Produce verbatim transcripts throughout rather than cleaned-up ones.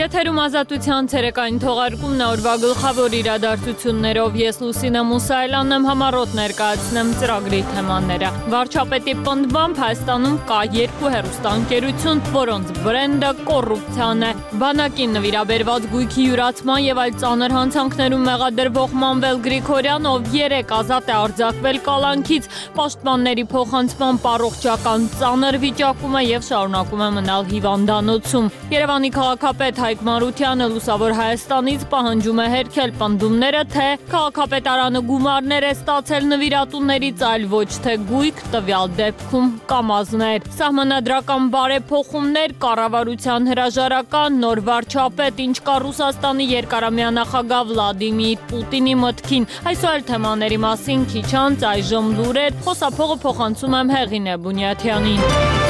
Եթերում ազատության ցերեկային թողարկումն է օրվա գլխավոր իրադարձություններով ես Լուսինե Մուսայելյանն եմ համառոտ ներկայացնեմ ծրագրի թեմաները։ Վարչապետի պնդմամբ Հայաստանում կա երկու հեռուստաընկերություն, որոնց բրենդը կոռուպցիան է։ Բանակին նվիրաբերված գույքի յուրացման եւ այլ ծանր հանցանքներում մեղադրվող Մանվել Գրիգորյան, ով երեք ազատ է արձակվել կալանքից, պաշտպանների փոխանցման առողջական ծանր վիճակում է եւ շարունակում է մնալ հիվանդանոցում։ Երևանի քաղաքապետ Հայկ Մարությանը Լուսավոր Հայաստանից պահանջում է հերքել պնդումները, թե քաղաքապետարանը գումարներ է ստացել նվիրատուներից, այլ ոչ թե գույք, տվյալ դեպքում կամազներ։ Սահմանադրական բարեփոխումներ, կառավարության հրաժարական, նոր վարչապետ, ինչ կա Ռուսաստանի երկարամյա նախագահ Վլադիմիր Պուտինի մտքին։ Այսօր այլ թեմաների մասին քիչ անց այժմ լուրեր, խոսափողը փոխանցում եմ Հեղինե Բունյաթյանին։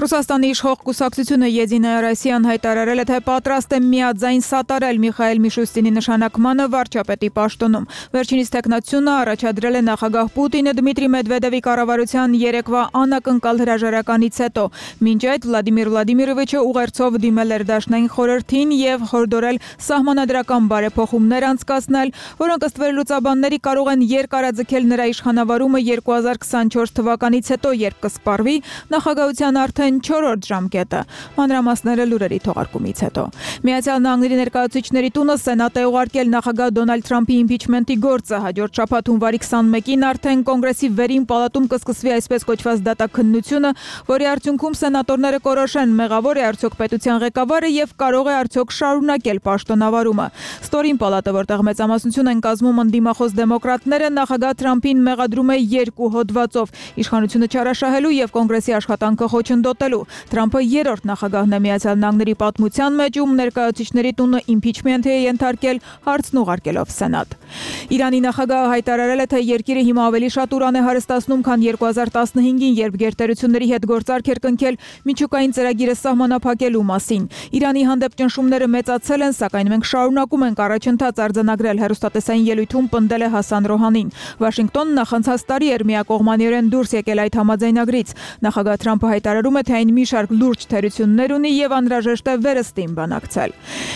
Ռուսաստանի իշխող կուսակցությունը Եդինայա Ռոսիան հայտարարել է, թե պատրաստ է միաձայն սատարել Միխայել Միշուստինի նշանակմանը վարչապետի պաշտոնում։ Վերջինիս տեխնացությունը առաջադրել է նախագահ Պուտինը Դմիտրի Մեդվեդևի կառավարության երեկվա անակնկալ հրաժարականից հետո։ Մինչ այդ Վլադիմիր Վլադիմիրովիչը ուղերձով դիմել էր Դաշնային խորհրդին եւ հորդորել սահմանադրական բարեփոխումներ անցկացնել, որոնք ըստ վերլուծաբանների կարող են երկարաձգել նրա իշխանավարումը երկու հազար քսանչորս թվականից հետո, երբ կսպառվի նախագահության արդեն չորրորդ ժամկետը։ Մանրամասները լուրերի թողարկումից հետո։ Միացյալ Նահանգների ներկայացուցիչների տունը Սենատ է ուղարկել նախագահ Դոնալդ Թրամփի իմպիչմենտի գործը։ Հաջորդ շաբաթ հունվարի քսանմեկին արդեն կոնգրեսի վերին պալատում կսկսվի այսպես կոչված դատաքննությունը, որի արդյունքում սենատորները կորոշեն մեղավոր է արդյոք պետության ղեկավարը եւ կարող է արդյոք շարունակել պաշտոնավարումը։ Ստորին պալատը, որտեղ մեծամասնություն են կազմում ընդդիմախոս դեմոկրատները, նախագահ Թրամփին մեղադրում է երկու հոդվածով՝ իշխանությունը չարաշահելու եւ կոնգրեսի աշխատանքը խոչընդոտելու։ Թրամփը երրորդ նախագահն է Միացյալ Նահանգների պատմության մեջ, ում ներկայացուցիչների տունը իմպիչմենտ է ենթարկել, հարցն ուղարկելով Սենատ։ Իրանի նախագահը հայտարարել է, թե երկիրը հիմա ավելի շատ ուրան է հարստացնում, քան երկու հազար տասնհինգին, երբ գերտերությունների հետ գործարք էր կնքել միջուկային ծրագիրը սահմանափակելու մասին։ Իրանի հանդեպ ճնշումները մեծացել են, սակայն մենք շարունակում ենք առաջընթաց արձանագրել, հեռուստատեսային ելույթում պնդել է Հասան Ռոհանին։ Վաշինգտոնը նախանցած տարի էր միակողմանիորեն դուրս եկել այդ համաձայնագրից։ Նախագահ Թրամփը հայտարարում է, թե այն մի շարք լուրջ թերություններ ունի եւ անհրաժեշտ է վերստին բանակցել։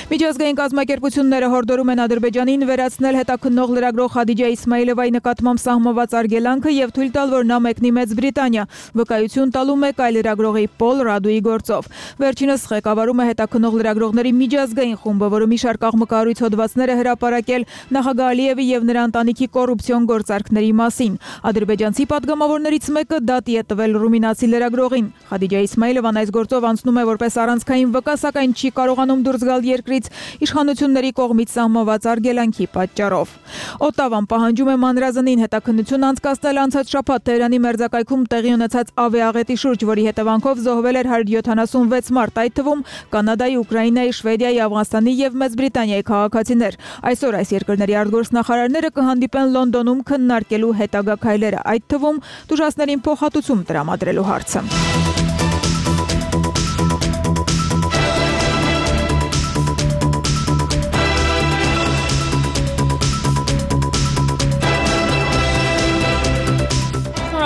Միջազգային կազմակերպությունները հորդորում են Ադրբեջանին վերացնել հետաքննող լրագրող Խադիջա Իսմայիլովայի նկատմամբ սահմանված արգելանքը եւ թույլ տալ, որ նա մեկնի Մեծ Բրիտանիա, վկայություն տալու մեկ այլ լրագրողի Պոլ Ռադուի գործով։ Վերջինս ղեկավարում է հետաքննող լրագրողների միջազգային խումբը, որը մի շարք աղմկահարույց հոդվածներ է հրապարակել նախագահ Ալիևի եւ նրա ընտանիքի կոռուպցիոն գործարքների մասին։ Ադրբեջանցի падգամավորներից մեկը դատի է տվել ռումինացի լրագրողին։ Խադիջա Իսմայիլովան այս գործով անցնում է որպես առանցքային վկա, սակայն չի կարողանում դուրս գալ երկրից իշխանությունների կողմից սահմանված արգելանքի պատճառով։ Օտավան պահանջում է մանրազնին հետաքննություն անցկացնել անցած շաբաթ Թեհրանի մերձակայքում տեղի ունեցած ավիաաղետի շուրջ, որի հետևանքով զոհվել էր հարյուր յոթանասունվեց մարդ, այդ թվում Կանադայի, Ուկրաինայի, Շվեդիայի, Աֆղանստանի եւ Մեծ Բրիտանիայի քաղաքացիներ։ Այսօր այս երկրների արտգործնախարարները կհանդիպեն Լոնդոնում քննարկելու հետագա քայլերը, այդ թվում տուժածներին փոխհատուցում տրամադրելու հարցը։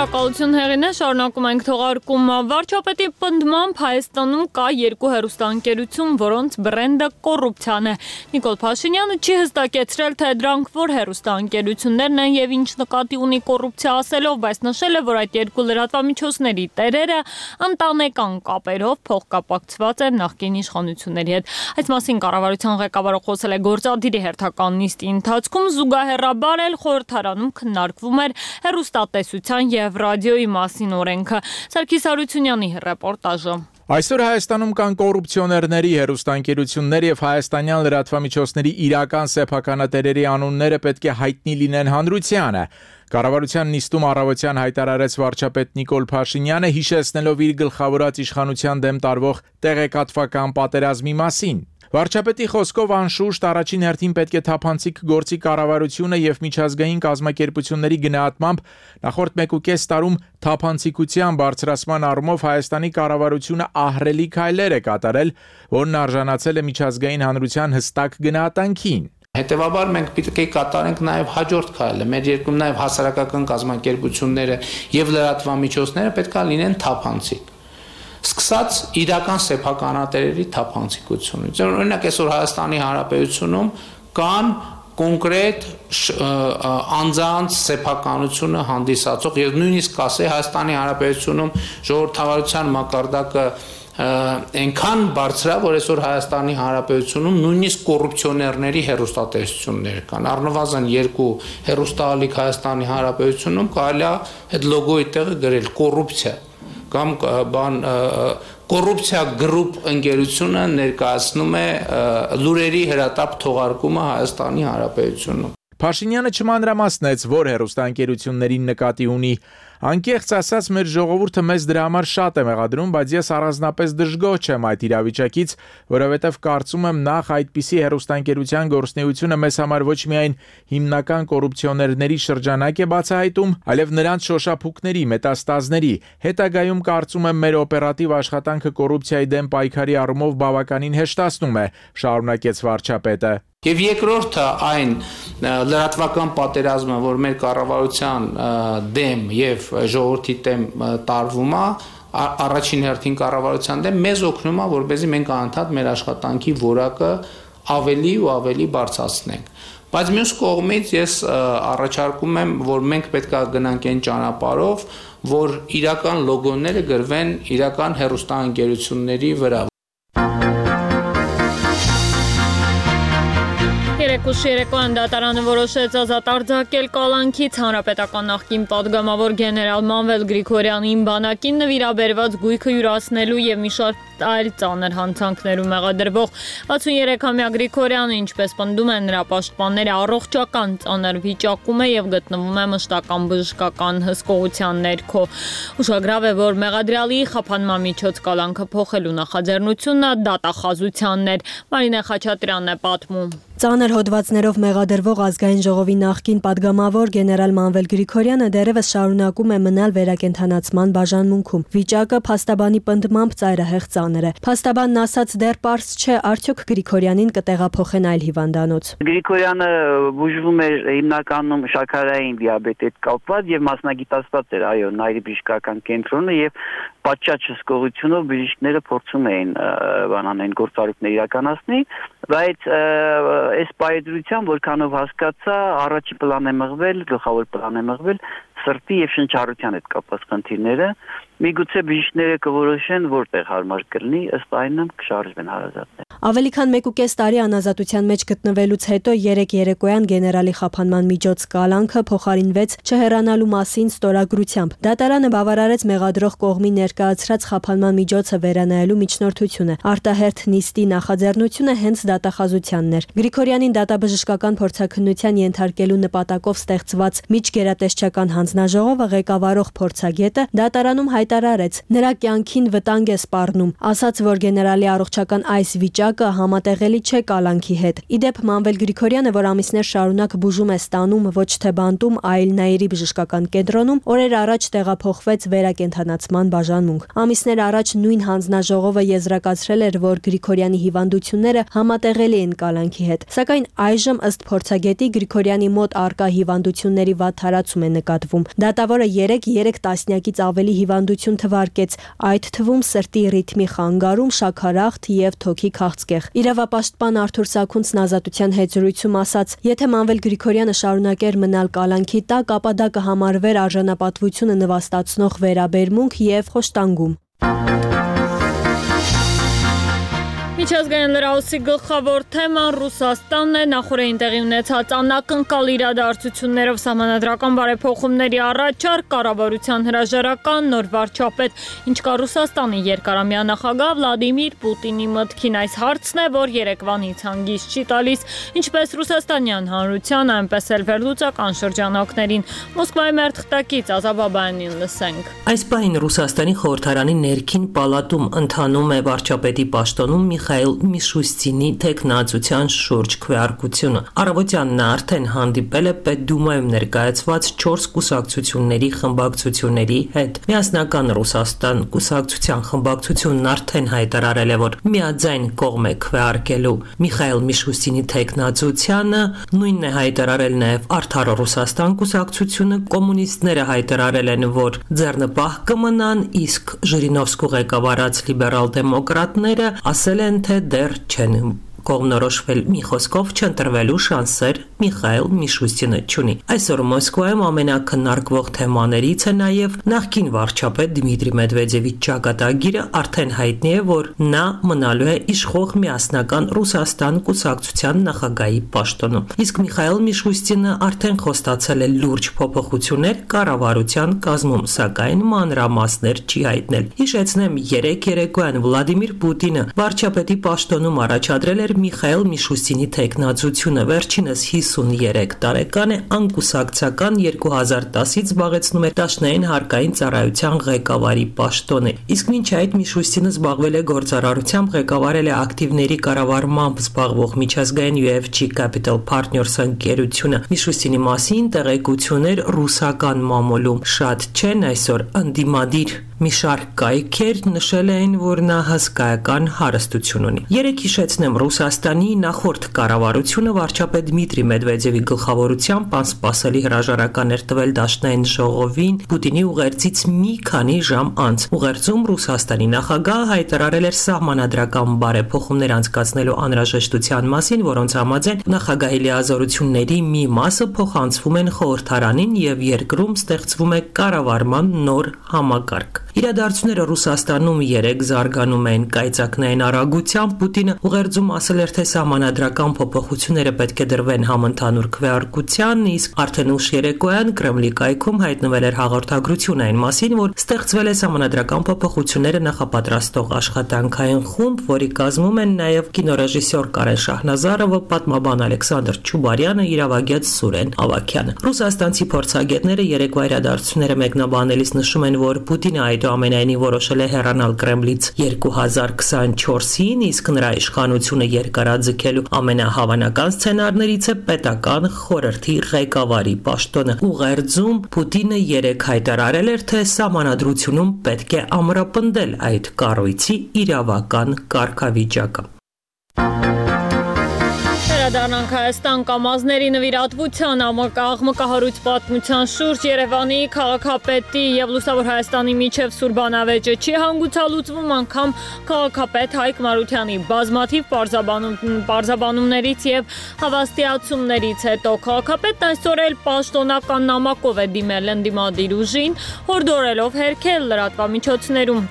Շնորհակալություն Հեղինե, շարունակում ենք թողարկումը։ Վարչապետի պնդմամբ Հայաստանում կա երկու հեռուստաընկերություն, որոնց բրենդը կոռուպցիան է։ Նիկոլ Փաշինյանը չի հստակեցրել, թե դրանք որ հեռուստաընկերություններն են եւ ինչ նկատի ունի կոռուպցիա ասելով, բայց նշել է, որ այդ երկու լրատվամիջոցների տերերը ընտանեկան կապերով փոխկապակցված են նախկին իշխանությունների հետ։ Այս մասին կառավարության ղեկավարը խոսել է գործադիրի հերթական նիստի ընթացքում, զուգահեռաբար էլ խորհրդարանում քննարկվում էր հեռուստատեսության եւ ռադիոյի մասին օրենքը։ Սարգիս Հարությունյանի ռեպորտաժը։ Այսօր Հայաստանում կան կոռուպցիոներների, հեռուստաընկերություններ եւ հայաստանյան լրատվամիջոցների իրական սեփականատերերի անունները պետք է հայտնի լինեն հանրությանը։ Կառավարության նիստում առավոտյան հայտարարեց վարչապետ Նիկոլ Փաշինյանը, հիշեցնելով իր գլխավորած իշխանության դեմ տարվող տեղեկատվական պատերազմի մասին։ Վարչապետի խոսքով անշուշտ առաջին հերթին պետք է թափանցիկ գործի կառավարությունը եւ միջազգային կազմակերպությունների գնահատմամբ նախորդ մեկուկես տարում թափանցիկության բարձրացման առումով Հայաստանի կառավարությունը ահռելի քայլեր է կատարել, որն արժանացել է միջազգային հանրության հստակ գնահատանքին։ Հետևաբար մենք պետք է կատարենք նաև հաջորդ քայլը, մեր երկրում նաև հասարակական կազմակերպությունները եւ լրատվամիջոցները պետք է լինեն թափանցիկ։ սկսած իրական սեփականատերերի թափանցիկությունից։ Օրինակ այսօր Հայաստանի Հանրապետությունում կան կոնկրետ անձանց սեփականությունը հանդիսացող եւ նույնիսկ ասե Հայաստանի Հանրապետությունում ժողովրդավարության մակարդակը այնքան բարձր է, որ այսօր Հայաստանի Հանրապետությունում նույնիսկ կոռուպցիոներների հերոստատեսություններ կան։ Առնվազն երկու հերոստալիկ Հայաստանի Հանրապետությունում կարելի է այդ լոգոյի տեղը գրել կոռուպցիա կամ բան կոռուպցիա գրուպ ընկերությունը ներկայացնում է լուրերի հրատապ թողարկումը Հայաստանի Հանրապետությունում։ Փաշինյանը չմանրամասնեց, որ հերոստանգերություններին նկատի ունի։ Անկեղծ ասած, մեր ժողովուրդը մեզ դրա համար շատ է մեղադրում, բայց ես առանձնապես դժգոհ չեմ այդ իրավիճակից, որովհետև կարծում եմ նախ այդպիսի հերոստանգերության գործունեությունը մեզ համար ոչ միայն հիմնական կոռուպցիոներների շրջանակ է բացահայտում, այլև նրանց շոշափուկների, մետաստազների, հետագայում կարծում եմ մեր օպերատիվ աշխատանքը կոռուպցիայի դեմ պայքարի առումով բավականին հեշտացնում է, շարունակեց վարչապետը։ Եվ երկրորդը այն լրատվական պատերազմը, որ մեր կառավարության դեմ եւ ժողովրդի դեմ տարվում է, առաջին հերթին կառավարության դեմ մեզ օգնում է, որպեսզի մենք անընդհատ մեր աշխատանքի որակը ավելի ու ավելի բարձրացնենք։ Բայց մյուս կողմից ես առաջարկում եմ, որ մենք պետք է գնանք այն ճանապարհով, որ իրական լոգոները գրվեն իրական հեռուստաընկերությունների վրա։ Երեկոյան դատարանը որոշեց ազատ արձակել կալանքից հանրապետական նախկին падգամավոր գեներալ Մանվել Գրիգորյանին բանակին նվիրաբերված գույքը յուրացնելու եւ մի շարք այլ ծանր հանցանքներում մեղադրվող վաթսուներեքամյա Գրիգորյանը, ինչպես պնդում են նրա պաշտպանները, առողջական ծանր վիճակում է եւ գտնվում է մշտական բժշկական հսկողության ներքո։ Ուշագրավ է, որ մեղադրյալի խափանման միջոց կալանքը փոխելու նախաձեռնությունը դատախազությանն էր։ Մարինե Խաչատրյանն է պատմում։ Ծանր հոդվածներով մեղադրվող ազգային ժողովի նախկին падգամավոր գեներալ Մանվել Գրիգորյանը դեռևս շարունակում է մնալ վերակենդանացման բաժանմունքում։ Վիճակը փաստաբանի պնդմամբ ծայրահեղ ծանր է։ Փաստաբանն ասաց դեռ պարզ չէ, արդյոք Գրիգորյանին կտեղափոխեն այլ հիվանդանոց։ Գրիգորյանը բուժվում էր հիմնականում շաքարային դիաբետի հետ կապված եւ մասնագիտացված էր, այո, նայրի բժշկական կենտրոնը եւ պատշաճ հսկողությունով բժիշկները փորձում էին բանանային գործառույթներ իրականացնի, բայց այս պայծրությամբ որքանով հասկացա, առաջի պլան է մղվել, գլխավոր պլան է մղվել սրտի եւ շնչառության հետ կապված խնդիրները, միգուցե բժիշկները կորոշեն որտեղ հարմար կլինի, ըստ այնմ կշարժվեն հարազատները։ Ավելի քան մեկ ու կես տարի անազատության մեջ գտնվելուց հետո երեք երեկոյան գեներալի խափանման միջոց կալանքը փոխարինվեց չհեռանալու մասին ստորագրությամբ։ Դատարանը բավարարեց մեղադրող կողմի ներկայացրած խափանման միջոցը վերանայելու միջնորդությունը։ Արտահերթ նիստի նախաձեռնությունը հենց դատախազությանն էր։ Գրիգորյանին դատաբժշկական փորձաքննության ենթարկելու նպատակով ստեղծված միջգերատեսչական հանձնաժողովը ղեկավարող փորձագետը դատարանում հայտարարեց. նրա կյանքին վտանգ է սպառնում, ասաց, որ գեներալի առողջական այս վիճակը համատեղելի չէ կալանքի հետ։ Իդեպ Մանվել Գրիգորյանը, որ ամիսներ շարունակ բուժում է ստանում ոչ թե բանտում, այլ Նայիրի բժշկական կենտրոնում, օրեր առաջ տեղափոխվեց վերակենդանացման բաժանմունք։ Ամիսներ առաջ նույն հանձնաժողովը եզրակացրել էր, որ Գրիգորյանի հիվանդությունները համատեղելի են կալանքի հետ։ Սակայն այժմ ըստ փորձագետի Գրիգորյանի մոտ առկա հիվանդությունների վատ թարացում է նկատվում։ Դատավորը երեք տասնյակից ավելի հիվանդություն թվարկեց, այդ թվում սրտի ռիթմի խանգարում, շաքարախտ եւ թոքի քաղցկեղ։ Իրավապաշտպան Արթուր Սաքունցն ազատության հետ զրույցում ասաց. եթե Մանվել Գրիգորյանը շարունակեր մնալ կալանքի տակ, ապա դա կհամարվեր արժանապատվությունը նվաստացնող վերաբերմունք եւ խոշտանգում։ Միջազգային լրահոսի գլխավոր թեման Ռուսաստանն է։ Նախորդին տեղի ունեցած անակնկալ իրադարձություններով սահմանադրական բարեփոխումների առաջարկ, կառավարության հրաժարական, նոր վարչապետ, ինչ կա Ռուսաստանի երկարամյա նախագահ Վլադիմիր Պուտինի մտքին, այս հարցն է, որ երեկվանից հանգիստ չի տալիս ինչպես ռուսաստանյան հանրության, այնպես էլ վերլուծական շրջանակներին։ Մոսկվայի մերթխտակից Ազատ Բաբայանին լսենք։ Այս պահին Ռուսաստանի խորհրդարանի ներքին պալատում ընթանում է վարչապետի պաշտոնում Միխայիլ Միխայիլ Միշուստինի տեխնացության շուրջ քվեարկությունը։ Առավոտյան նա արդեն հանդիպել է Պետդումայում ներկայացված չորս կուսակցությունների խմբակցությունների հետ։ Միասնական Ռուսաստան կուսակցության խմբակցությունն արդեն հայտարարել է, որ միաձայն կողմ է քվեարկելու Միխայիլ Միշուստինի տեխնացությանը, նույնն է հայտարարել նաև Արդար Ռուսաստան կուսակցությունը, կոմունիստները հայտարարել են, որ ձեռնպահ կմնան, իսկ Ժիրինովսկու ղեկավարած լիբերալ դեմոկրատները ասել են, թե դեռ չեն կողմնորոշվել, մի խոսքով չընտրվելու շանսեր Միխայիլ Միշուստինը չունի։ Այսօր Մոսկվայում ամենակննարկվող թեմաներից է նաև նախկին վարչապետ Դմիտրի Մեդվեդևի ճակատագիրը, արդեն հայտնի է, որ նա մնալու է իշխող միասնական Ռուսաստան կուսակցության նախագահի պաշտոնում։ Իսկ Միխայիլ Միշուստինը արդեն խոստացել է լուրջ փոփոխություններ կառավարության կազմում, սակայն մանրամասներ չի հայտնել։ Հիշեցնեմ, երեք երեկոյան Վլադիմիր Պուտինը վարչապետի պաշտոնում առաջադրել է Միխայիլ Միշուստինի տեխնացությունը, վերջինս հիսուներեք տարեկան է, անկուսակցական երկու հազար տասից զբաղեցնում է դաշնային հարկային ծառայության ղեկավարի պաշտոնը։ Իսկ մինչ այդ Միշուստինը զբաղվել է գործարարությամբ, ղեկավարել է ակտիվների կառավարմամբ զբաղվող միջազգային յու էֆ ջի Capital Partners ընկերությունը։ Միշուստինի մասին տեղեկություններ ռուսական մամուլում շատ չեն, այսօր ընդդիմադիր մի շարք կայքեր նշել էին, որ նա հսկայական հարստություն ունի։ Երեք հիշեցնեմ, Ռուսաստանի նախորդ կառավարությունը վարչապետ Դմիտրի Մեդվեդևի գլխավորությամբ անսպասելի հրաժարական էր տվել դաշնային ժողովին Պուտինի ուղերձից մի քանի ժամ անց։ Ուղերձում Ռուսաստանի նախագահը հայտարարել էր սահմանադրական բարեփոխումներ անցկացնելու անհրաժեշտության մասին, որոնց համաձայն նախագահի լիազորությունների մի մասը փոխանցվում են խորհրդարանին եւ երկրում ստեղծվում է կառավարման նոր համակարգ։ Իրադարձությունները Ռուսաստանում երեք զարգանում են կայծակնային արագությամբ։ Պուտինը ուղերձում ասել էր, թե սահմանադրական փոփոխությունները պետք է դրվեն համընդհանուր քվեարկության, իսկ արդեն ուշ երեկոյան Կրեմլի կայքում հայտնվել էր հաղորդագրություն այն մասին, որ ստեղծվել է սահմանադրական փոփոխությունները նախապատրաստող աշխատանքային խումբ, որի կազմում են նաև կինոռեժիսոր Կարեն Շահնազարովը, պատմաբան Ալեքսանդր Չուբարյանը, իրավագետ Սուրեն Ավագյանը։ Ռուսաստանցի փորձագետները երեկվա իրադարձությունները մեկնաբանելիս նշում են, որ Պուտինը այնուամենայնիվ որոշել է հեռանալ Կրեմլից երկու հազար քսաներկուին, իսկ նրա իշխանությունը երկարաձգելու ամենահավանական սցենարներից է պետական խորհրդի ղեկավարի պաշտոնը։ Ուղերձում Պուտինը երեք հայտարարել էր, թե սահմանադրությունում պետք է ամրապնդել այդ կառույցի իրավական կարգավիճակը։ Վերադառնանք Հայաստան կամազների նվիրատվության աղմկահարույց պատմության շուրջ Երևանի քաղաքապետի եւ Լուսավոր Հայաստանի միջև սուր բանավեճը չի հանգուցալուծվում, անգամ քաղաքապետ Հայկ Մարությանի բազմաթիվ պարզաբանումներից եւ հավաստիացումներից հետո քաղաքապետն այսօր էլ պաշտոնական նամակով է դիմել ընդդիմադիր ուժին, հորդորելով հերքել լրատվամիջոցներում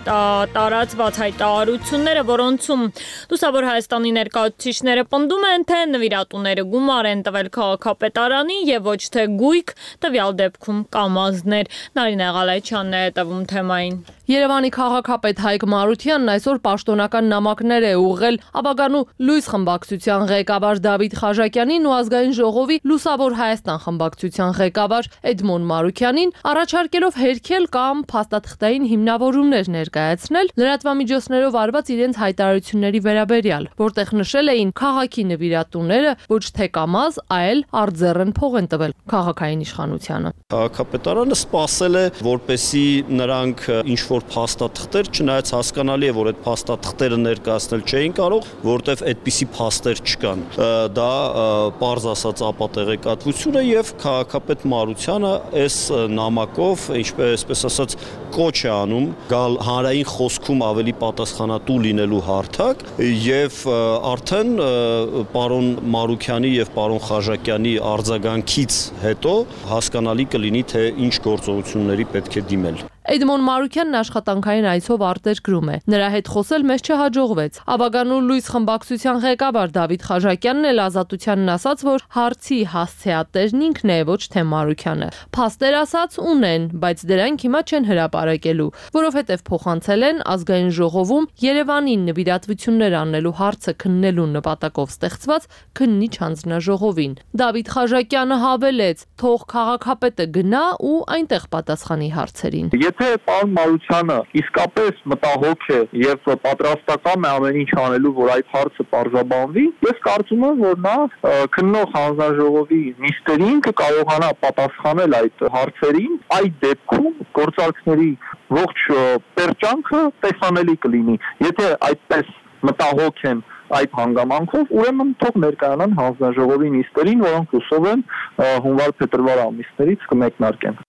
տարածված հայտարարությունները, որոնցում Լուսավոր Հայաստանի ներկայացուցիչները պնդում են, թե նվիրատուները գումար են տվել քաղաքապետարանին եւ ոչ թե գույք, տվյալ դեպքում կամազներ։ Նարինե Ղալայչյանն է հետևում թեմային։ Երևանի քաղաքապետ Հայկ Մարությանն այսօր պաշտոնական նամակներ է ուղղել Աբագանու լույս խմբակցության ղեկավար Դավիթ Խաժակյանին ու ազգային ժողովի Լուսավոր Հայաստան խմբակցության ղեկավար Էդմոն Մարուքյանին, առաջարկելով հերքել կամ փաստաթղթային հիմնավորումներ ներկայացնել լրատվամիջոցներով արված իրենց հայտարարությունների վերաբերյալ, որտեղ նշել էին քաղաքի նվիրատուները ոչ թե կամազ, այլ արձեռն փող են տվել քաղաքային իշխանությանը։ Քաղաքապետարանը սպասել է, որպեսզի նրանք ինչ որ փաստաթղթեր, չնայած հասկանալի է, որ այդ փաստաթղթերը ներկայացնել չէին կարող, որտեվ այդպիսի փաստեր չկան։ Դա պարզ ասած ապատեղեկատվություն է եւ քաղաքապետ Մարությանը այս նամակով, ինչպես ասած, կոչ է անում գալ հանրային խոսքում ավելի պատասխանատու լինելու հարթակ եւ արդեն պարոն Մարուքյանի եւ պարոն Խաժակյանի արձագանքից հետո հասկանալի կլինի, թե ինչ գործողությունների պետք է դիմել։ Էդմոն Մարուքյանն աշխատանքային այցով արտերկրում է։ Նրա հետ խոսել մեզ չհաջողվեց։ Աբագանու լույս խմբակցության ղեկավար Դավիթ Խաժակյանն էլ Ազատությանն ասաց, որ հարցի հասցեատերն ինքն է, ոչ թե Մարուքյանը։ Փաստեր ասաց ունեն, բայց դրանք հիմա չեն հրապարակելու, որովհետև փոխանցել են ազգային ժողովում Երևանին նվիրատվություններ անելու հարցը քննելու նպատակով ստեղծված քննիչ հանձնաժողովին։ Դավիթ Խաժակյանը հավելեց, թող քաղաքապետը գնա ու այնտեղ պատասխանի հարցերին։ Եթե պարոն Մարությանը իսկապես մտահոգ է եւ պատրաստական է ամեն ինչ անելու, որ այդ հարցը պարզաբանվի, ես կարծում եմ, որ նա քննող հանձնաժողովի նիստերին կկարողանա պատասխանել այդ հարցերին, այդ դեպքում գործարքների ողջ պերճանքը տեսանելի կլինի։ Եթե այդպես մտահոգ են այդ հանգամանքով, ուրեմն թող ներկայանան հանձնաժողովի նիստերին, որոնք հուսով են հունվար-փետրվար ամիսներից կմեկնարկեն։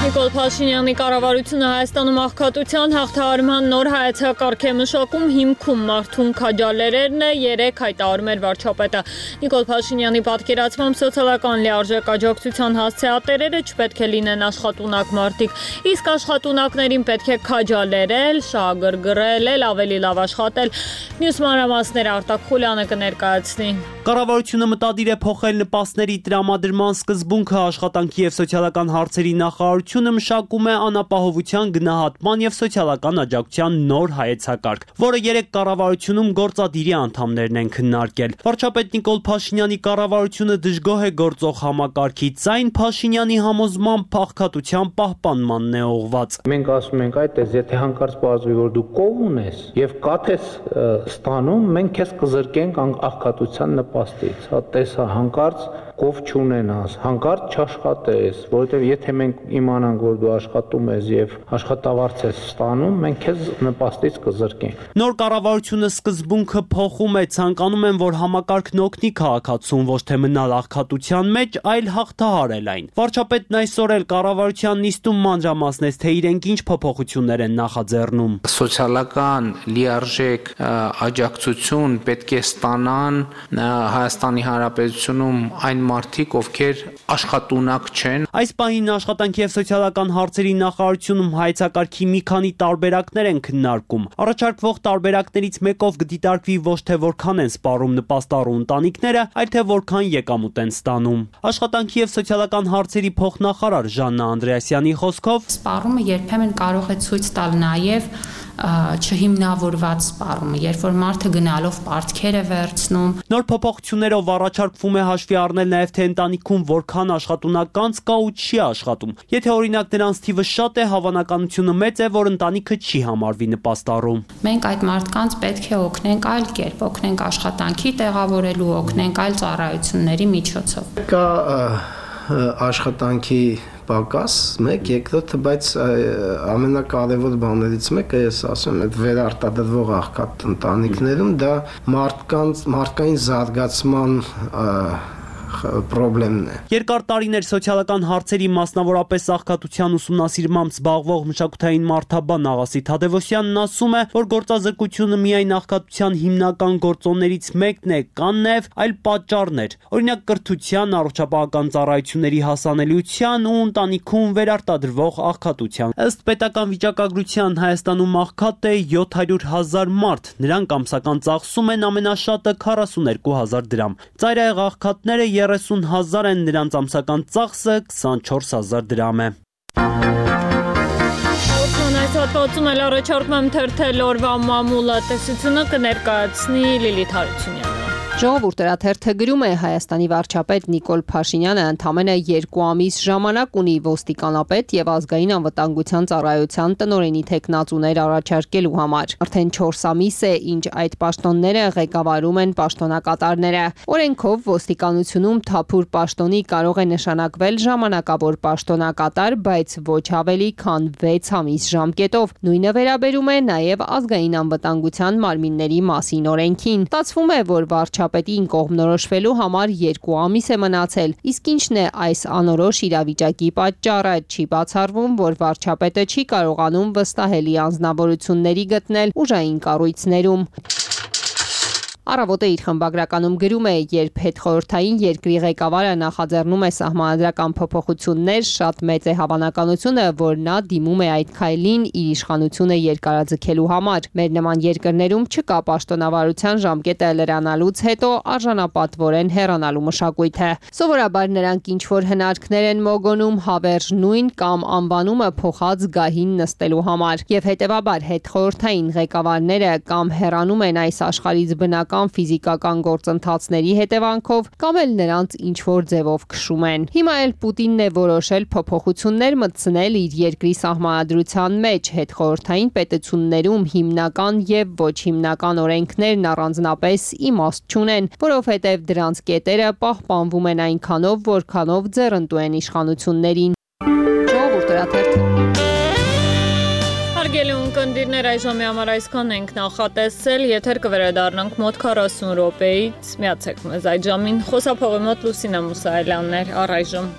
Նիկոլ Փաշինյանի կառավարությունը Հայաստանում աղքատության հաղթահարման նոր հայեցակարգ է մշակում, հիմքում մարդուն քաջալերելն է, երեք հայտարարում էր վարչապետը։ Նիկոլ Փաշինյանի պատկերացմամբ սոցիալական լիարժեք աջակցության հասցեատերերը չպետք է լինեն աշխատունակ մարդիկ, իսկ աշխատունակներին պետք է քաջալերել, շահագրգռել, ավելի լավ աշխատել։ Մյուս մանրամասները Արտակ Խուլյանը կներկայացնի։ Կառավարությունը մտադիր է փոխել նպաստների տրամադրման սկզբունքը, աշխատանքի եւ սոցիալական հարցերի նախարարությունը մշակում է անապահովության գնահատման եւ սոցիալական աջակցության նոր հայեցակարգ, որը երեք կառավարությունում գործադիրի անդամներն են քննարկել։ Վարչապետ Նիկոլ Փաշինյանի կառավարությունը դժգոհ է գործող համակարգից, այն Փաշինյանի համոզմամբ փախկատության պահպանմանն է ուղղված։ Մենք ասում ենք, այդտես, եթե հանկարծ պարզվի, որ դու կով ունես եւ կաթես ստանում, մենք քեզ կզրկենք աղքատության նպաստից։ Հա տեսա հանկարծ կով չունենաս, հանկարծ չաշխատես, որովհետև եթե մենք իմանանք, որ դու աշխատում ես եւ աշխատավարձ ես ստանում, մենք քեզ նպաստից կզրկենք։ Նոր կառավարությունը սկզբունքը փոխում է, ցանկանում են, որ համակարգն օգնի քաղաքացուն ոչ թե մնալ աղքատության մեջ, այլ հաղթահարել այն։ Վարչապետն այսօր էլ կառավարության նիստում մանրամասնեց, թե իրենք ինչ փոփոխություններ են նախաձեռնում։ Սոցիալական լիարժեք աջակցություն պետք է ստանան Հայաստանի Հանրապետությունում այն մարդիկ, ովքեր աշխատունակ չեն։ Այս պահին աշխատանքի եւ սոցիալական հարցերի նախարարությունում հայեցակարգի մի քանի տարբերակներ են քննարկում։ Առաջարկվող տարբերակներից մեկով կդիտարկվի ոչ թե որքան են սպառում նպաստառու ընտանիքները, այլ թե որքան եկամուտ են ստանում։ Աշխատանքի եւ սոցիալական հարցերի փոխնախարար Ժաննա Անդրեասյանի խոսքով սպառումը երբեմն կարող է ցույց տալ նաեւ չհիմնավորված սպառումը, երբ որ մարդը գնալով պարտքեր է վերցնում։ Նոր փոփոխություններով առաջարկվում է հաշվի առնել նաև թե ընտանիքում որքան աշխատունակ կա ու չի աշխատում։ Եթե օրինակ նրանց թիվը շատ է, հավանականությունը մեծ է, որ ընտանիքը չի համարվի նպաստառու։ Մենք այդ մարդկանց պետք է օգնենք այլ կերպ, օգնենք աշխատանքի տեղավորելու, օգնենք այլ ծառայությունների միջոցով։ Կա աշխատանքի պակաս, մեկ, երկրորդը, բայց ամենակարևոր բաներից մեկը, ես ասում եմ, այդ վերարտադրվող աղքատ ընտանիքներում դա մարդկանց մարդկային զարգացման պրոբլեմն է։ Երկար տարիներ սոցիալական հարցերի, մասնավորապես աղքատության ուսումնասիրմամբ զբաղվող մշակութային մարդաբան Աղասի Թադևոսյանն ասում է, որ գործազրկությունը միայն աղքատության հիմնական գործոններից մեկն է, կան նաև այլ պատճառներ, օրինակ կրթության, առողջապահական ծառայությունների հասանելիության ու ընտանիքում վերարտադրվող աղքատության։ Ըստ պետական վիճակագրության Հայաստանում աղքատ է յոթ հարյուր հազար մարդ, նրանք ամսական ծախսում են ամենաշատը քառասուներկու հազար դրամ։ Ծայրահեղ աղքատները երեսուն հազար են, նրանց ամսական ծախսը քսանչորս հազար դրամ է։ Այս հատվածում էլ առաջարկում եմ թերթել օրվա մամուլը տեսությունը կներկայացնի Լիլիթ Հարությունյանը։ Ժողովուրդ թերթը գրում է Հայաստանի վարչապետ Նիկոլ Փաշինյանը ընդամենը երկու ամիս ժամանակ ունի ոստիկանապետ եւ ազգային անվտանգության ծառայության տնօրենի թեկնածուներ առաջարկելու համար։ Արդեն չորս ամիս է, ինչ այդ պաշտոնները ղեկավարում են պաշտոնակատարները։ Օրենքով ոստիկանությունում թափուր պաշտոնի կարող է նշանակվել ժամանակավոր պաշտոնակատար, բայց ոչ ավելի քան վեց ամիս ժամկետով։ Նույնը վերաբերում է նաեւ ազգային անվտանգության մարմինների մասին օրենքին։ Ստացվում է, որ վարչապետին կողմնորոշվելու համար երկու ամիս է մնացել, իսկ ինչն է այս անորոշ իրավիճակի պատճառը, չի բացառվում, որ վարչապետը չի կարողանում վստահելի անձնավորությունների գտնել ուժային կառույցներում։ Առավոտը իր խմբագրականում գրում է, երբ հետխորհրդային երկրի ղեկավարը նախաձեռնում է սահմանադրական փոփոխություններ, շատ մեծ է հավանականությունը, որ նա դիմում է այդ քայլին իր իշխանությունը երկարաձգելու համար։ Մեր նման երկրներում չկա պաշտոնավարության ժամկետը լրանալուց հետո արժանապատվորեն հեռանալու մշակույթը։ Սովորաբար նրանք ինչ-որ հնարքներ են մոգոնում հավերժ նույն կամ անվանումը փոխած գահին նստելու համար։ Եվ հետևաբար հետխորհրդային ղեկավարները կամ հեռանում են այս աշխարհից բնակ քիմիական, ֆիզիկական գործընթացների հետևանքով կամ էլ նրանց ինչ-որ ձևով քշում են։ Հիմա էլ Պուտինն է որոշել փոփոխություններ մտցնել իր երկրի սահմանադրության մեջ, հետխորհրդային պետություններում հիմնական եւ ոչ հիմնական օրենքներն առանձնապես իմաստ չունեն, որովհետեւ դրանց կետերը պահպանվում են այնքանով, որքանով ձեռնտու են իշխանություններին։ Հարգելի ունկնդիրներ, այժմի համար այսքան ենք նախատեսել, եթեր կվերադառնանք մոտ քառասուն րոպեից, միացեք մեզ այդ ժամին, խոսափողի մոտ Լուսինե Մուսայելյանն էր, առայժմ։